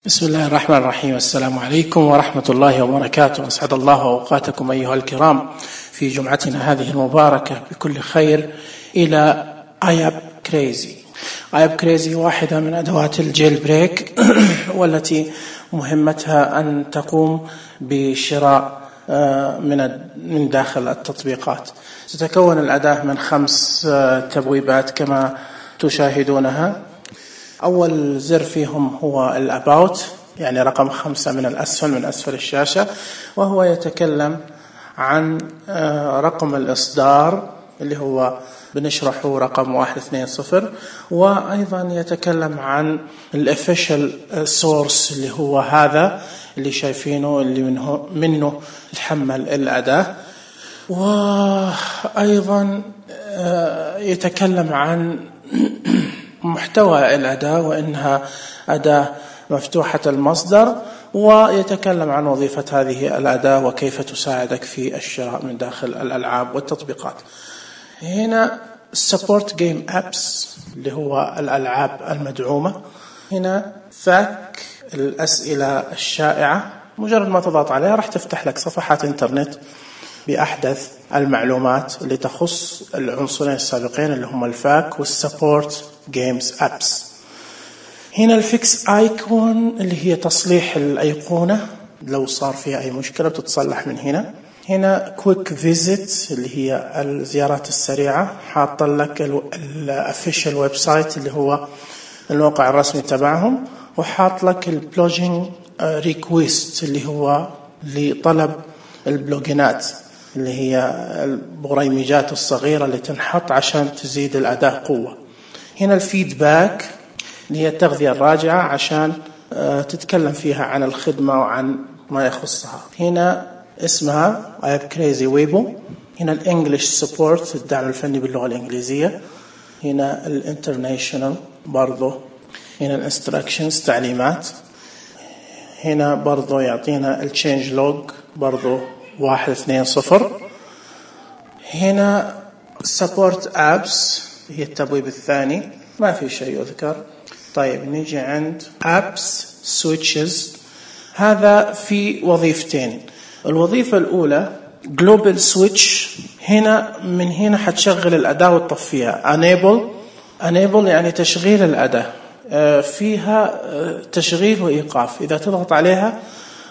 بسم الله الرحمن الرحيم. السلام عليكم ورحمة الله وبركاته. أسعد الله أوقاتكم أيها الكرام في جمعتنا هذه المباركة بكل خير إلى آياب كريزي. آياب كريزي واحدة من أدوات الجيل بريك والتي مهمتها أن تقوم بشراء من داخل التطبيقات. تتكون الأداة من 5 تبويبات كما تشاهدونها. أول زر فيهم هو الأباوت، يعني رقم 5 من أسفل الشاشة، وهو يتكلم عن رقم الإصدار اللي هو بنشرحه رقم 120، وأيضا يتكلم عن الofficial source اللي هو هذا اللي شايفينه اللي منه تحمل الأداة، وأيضا يتكلم عن محتوى الأداة وإنها أداة مفتوحة المصدر، ويتكلم عن وظيفة هذه الأداة وكيف تساعدك في الشراء من داخل الألعاب والتطبيقات. هنا support game apps اللي هو الألعاب المدعومة. هنا فاك الأسئلة الشائعة، مجرد ما تضغط عليها راح تفتح لك صفحات إنترنت بأحدث المعلومات اللي تخص العنصرين السابقين اللي هم الفاك والسبورت جيمز أبس. هنا الفيكس آيكون اللي هي تصليح الأيقونة لو صار فيها أي مشكلة بتتصلح من هنا. هنا كويك فيزيت اللي هي الزيارات السريعة، حاط لك الأوفيشال ويب سايت اللي هو الموقع الرسمي تبعهم، وحاط لك البلوجينج ريكويست اللي هو لطلب البلوجينات اللي هي البريمجات الصغيرة اللي تنحط عشان تزيد الأداة قوة. هنا الفيدباك اللي هي التغذية الراجعة عشان تتكلم فيها عن الخدمة وعن ما يخصها. هنا اسمها آياب كريزي ويبو. هنا الانجليش سبورت الدعم الفني باللغة الإنجليزية. هنا الانترناشنال برضو. هنا الانستراكشنز تعليمات. هنا برضو يعطينا التشينج لوج برضو 120. هنا سبورت ابس هي التبويب الثاني، ما في شيء يذكر. طيب نيجي عند ابس سويتشز. هذا في وظيفتين. الوظيفة الأولى جلوبال سويتش. هنا من هنا حتشغل الأداة وتطفيها. enable يعني تشغيل الأداة، فيها تشغيل وإيقاف. إذا تضغط عليها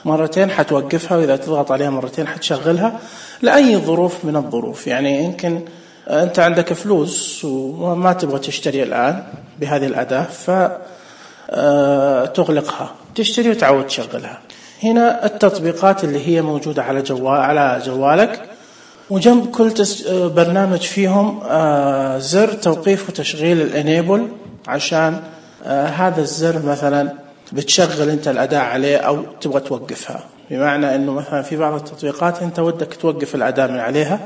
مرتين حتوقفها، وإذا تضغط عليها مرتين حتشغلها لأي ظروف من الظروف. يعني يمكن أنت عندك فلوس وما تبغى تشتري الآن بهذه الأداة فتغلقها، تشتري وتعود تشغلها. هنا التطبيقات اللي هي موجودة على جوالك، وجنب كل برنامج فيهم زر توقيف وتشغيل الانيبل، عشان هذا الزر مثلا بتشغل انت الأداة عليه أو تبغى توقفها. بمعنى أنه مثلا في بعض التطبيقات انت ودك توقف الأداة من عليها،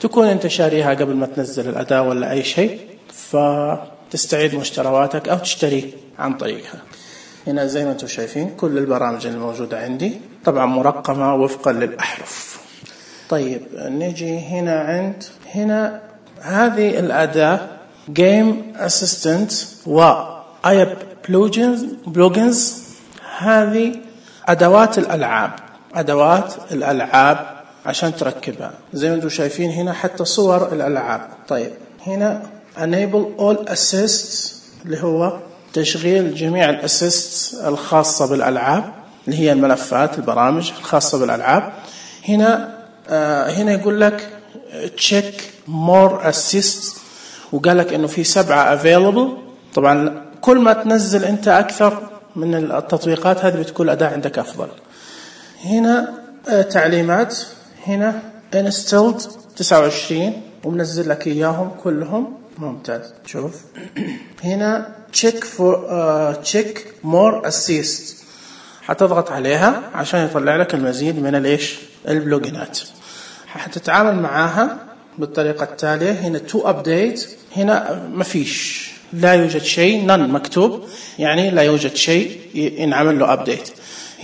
تكون انت شاريها قبل ما تنزل الأداة ولا أي شيء، فتستعيد مشترياتك أو تشتري عن طريقها. هنا زي ما انتم شايفين كل البرامج الموجودة عندي طبعا مرقمة وفقا للأحرف. طيب نيجي هنا هذه الأداة جيم أسيستنت وآياب بلوجنز. هذه أدوات الألعاب عشان تركبها. زي ما انتم شايفين هنا حتى صور الألعاب. طيب هنا enable all assists اللي هو تشغيل جميع الأسيست الخاصة بالألعاب اللي هي الملفات البرامج الخاصة بالألعاب. هنا يقول لك check more assists، وقال لك إنه في 7 available. طبعا كل ما تنزل أنت أكثر من التطبيقات هذه بتكون الأداة عندك أفضل. هنا تعليمات. هنا installed 29 ومنزل لك إياهم كلهم. ممتاز. شوف هنا check more assists، حتضغط عليها عشان يطلع لك المزيد من البلوجينات. حتتعامل معاها بالطريقة التالية. هنا to update. هنا ما فيش، لا يوجد شيء، none مكتوب، يعني لا يوجد شيء ينعمل له update.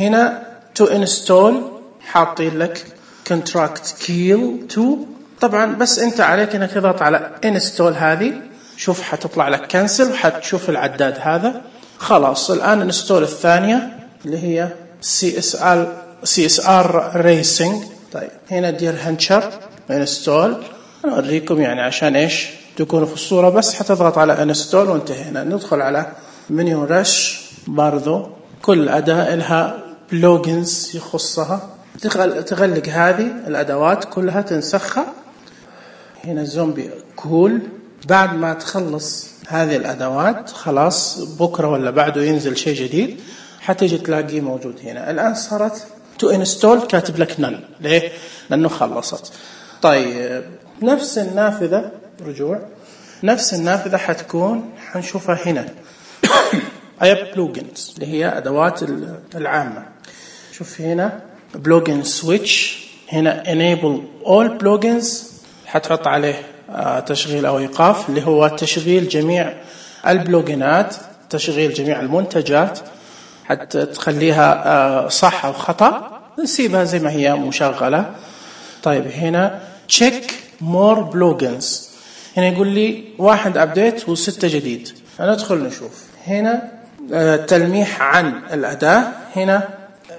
هنا to install حاطين لك contract kill to. طبعا بس انت عليك انك تضغط على install هذه. شوف حتطلع لك كنسل، وحتشوف العداد هذا. خلاص الآن install الثانية اللي هي CSR Racing. طيب هنا دير هانشر انستول. أنا أوريكم يعني عشان إيش تكونوا في الصورة، بس حتضغط على انستول وانتهينا. ندخل على منيو رش. برضو كل أداة لها بلوجنز يخصها، تغلق هذه الأدوات كلها تنسخها. هنا زومبي كول. بعد ما تخلص هذه الأدوات خلاص بكرة ولا بعده ينزل شيء جديد، حتيجي تلاقيه موجود هنا. الآن صارت تو انستول كاتب لك نن. ليه؟ لأنه خلصت. طيب نفس النافذة، رجوع، نفس النافذة حتكون حنشوفها هنا أي بلوجنز اللي هي أدوات العامة. شوف هنا بلوجن سويتش. هنا enable all plugins، حتحط عليه تشغيل أو إيقاف، اللي هو تشغيل جميع البلوجينات، تشغيل جميع المنتجات، حتى تخليها صح أو خطأ، نسيبها زي ما هي مشغلة. طيب هنا check more plugins. هنا يقول لي 1 أبديت و6 جديد. ندخل نشوف هنا تلميح عن الأداة. هنا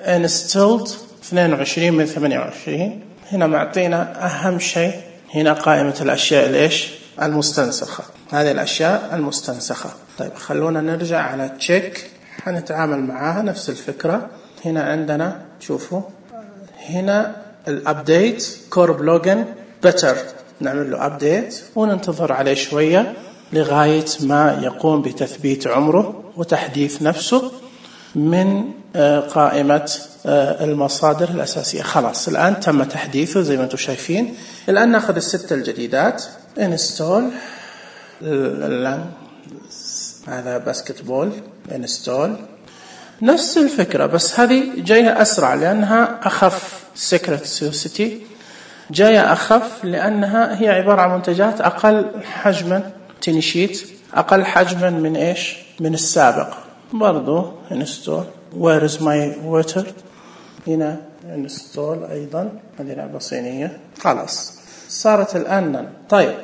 installed 22 من 28. هنا معطينا أهم شيء هنا قائمة الأشياء الإيش المستنسخة، هذه الأشياء المستنسخة. طيب خلونا نرجع على تشيك، حنتعامل معاها نفس الفكرة. هنا عندنا شوفوا هنا الأبديت كور بلوجن بتر، نعمل له أبديت وننتظر عليه شوية لغاية ما يقوم بتثبيت عمره وتحديث نفسه من قائمة المصادر الأساسية. خلاص الآن تم تحديثه زي ما أنتم شايفين. الآن نأخذ ال6 الجديدات انستول. هذا باسكتبول انستول. نفس الفكرة بس هذه جاية أسرع لأنها أخف. سيكريت سوسيتي جاية أخف لأنها هي عبارة عن منتجات أقل حجما. تنشيت أقل حجما من إيش من السابق. برضو انستول. where is my water. هنا انستول أيضا. هذه لعبة صينية. خلاص صارت الآن. طيب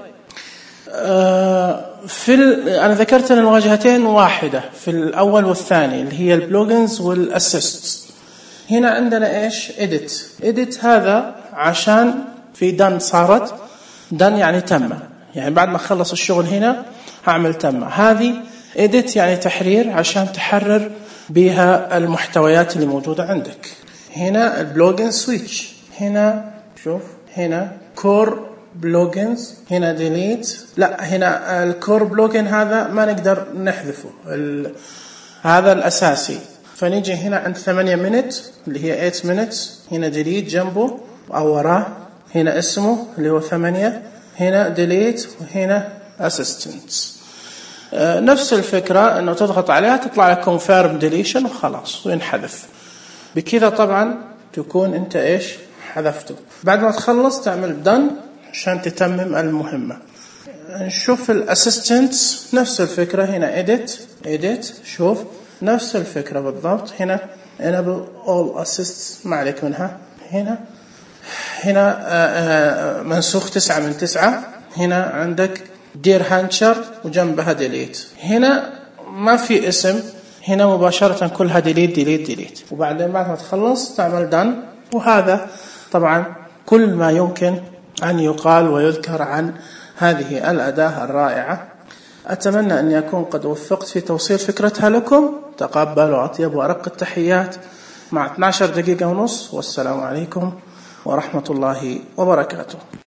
أنا ذكرت أن الواجهتين واحدة في الأول والثاني اللي هي البلوجنز والأسيست. هنا عندنا إيش edit هذا عشان في done. صارت done يعني تم، يعني بعد ما خلص الشغل هنا هعمل تم. هذه edit يعني تحرير عشان تحرر بها المحتويات اللي موجودة عندك. هنا البلوجن سويتش. هنا شوف هنا كور بلوجنز. هنا ديليت. لا هنا الكور بلوجن هذا ما نقدر نحذفه، هذا الأساسي. فنيجي هنا عند 8 minutes اللي هي 8 minutes. هنا ديليت جنبه أو وراه. هنا اسمه اللي هو 8. هنا ديليت وهنا assistants. نفس الفكرة أنه تضغط عليها تطلع لك confirm deletion وخلاص وينحذف. بكذا طبعا تكون أنت إيش حذفته. بعد ما تخلص تعمل done عشان تتمم المهمة. نشوف الاسيستنتس نفس الفكرة. هنا edit. شوف نفس الفكرة بالضبط. هنا enable all assists ما عليك منها. هنا منسوخ 9 من 9. هنا عندك دير هانشر وجنبها ديليت. هنا ما في اسم، هنا مباشرة كلها ديليت. وبعدين بعد ما تخلص تعمل دان. وهذا طبعا كل ما يمكن أن يقال ويذكر عن هذه الأداة الرائعة. أتمنى أن يكون قد وفقت في توصيل فكرتها لكم. تقبلوا أطيب وأرق التحيات مع 12 دقيقة ونص. والسلام عليكم ورحمة الله وبركاته.